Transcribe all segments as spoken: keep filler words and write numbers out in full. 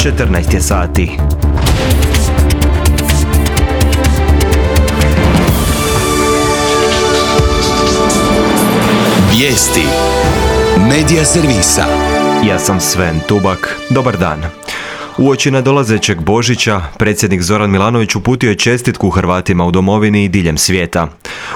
četrnaest je sati. Vijesti Medija servisa. Ja sam Sven Tubak. Dobar dan. Uoči nadolazećeg Božića, predsjednik Zoran Milanović uputio je čestitku Hrvatima u domovini i diljem svijeta.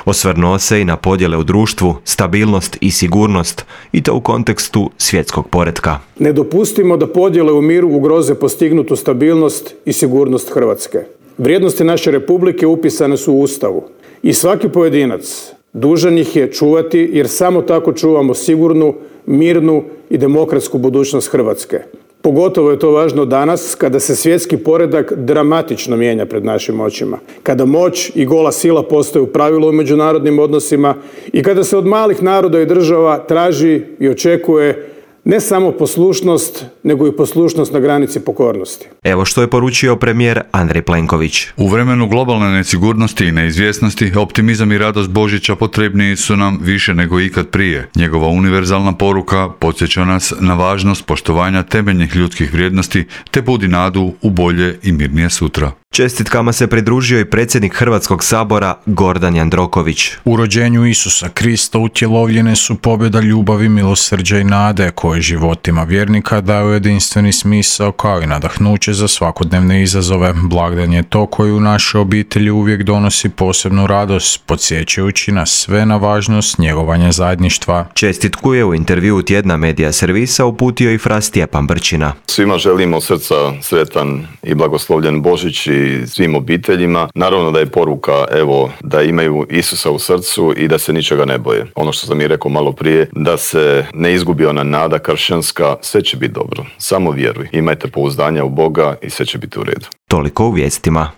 Osvrnuo se i na podjele u društvu, stabilnost i sigurnost, i to u kontekstu svjetskog poretka. Ne dopustimo da podjele u miru ugroze postignutu stabilnost i sigurnost Hrvatske. Vrijednosti naše republike upisane su u Ustavu i svaki pojedinac dužan ih je čuvati, jer samo tako čuvamo sigurnu, mirnu i demokratsku budućnost Hrvatske. Pogotovo je to važno danas, kada se svjetski poredak dramatično mijenja pred našim očima, kada moć i gola sila postaju pravilo u međunarodnim odnosima i kada se od malih naroda i država traži i očekuje ne samo poslušnost, nego i poslušnost na granici pokornosti. Evo što je poručio premijer Andrej Plenković. U vremenu globalne nesigurnosti i neizvjesnosti, optimizam i radost Božića potrebniji su nam više nego ikad prije. Njegova univerzalna poruka podsjeća nas na važnost poštovanja temeljnih ljudskih vrijednosti te budi nadu u bolje i mirnije sutra. Čestitkama se pridružio i predsjednik Hrvatskog sabora Gordan Jandroković. U rođenju Isusa Krista utjelovljene su pobjeda ljubavi, milosrđa i nade koje životima vjernika daju jedinstveni smisao kao i nadahnuće za svakodnevne izazove. Blagdan je to koji u našoj obitelji uvijek donosi posebnu radost, podsjećajući nas sve na važnost njegovanja zajedništva. Čestitku je u intervjuu tjedna Medija servisa uputio i fra Stjepan Brčina. Svima želimo od srca sretan i blagoslovljen Božić i svim obiteljima. Naravno da je poruka, evo, da imaju Isusa u srcu i da se ničega ne boje. Ono što sam i rekao malo prije, da se ne izgubi ona nada kršćanska, sve će biti dobro. Samo vjeruj. Imajte pouzdanja u Boga i sve će biti u redu. Toliko u vijestima.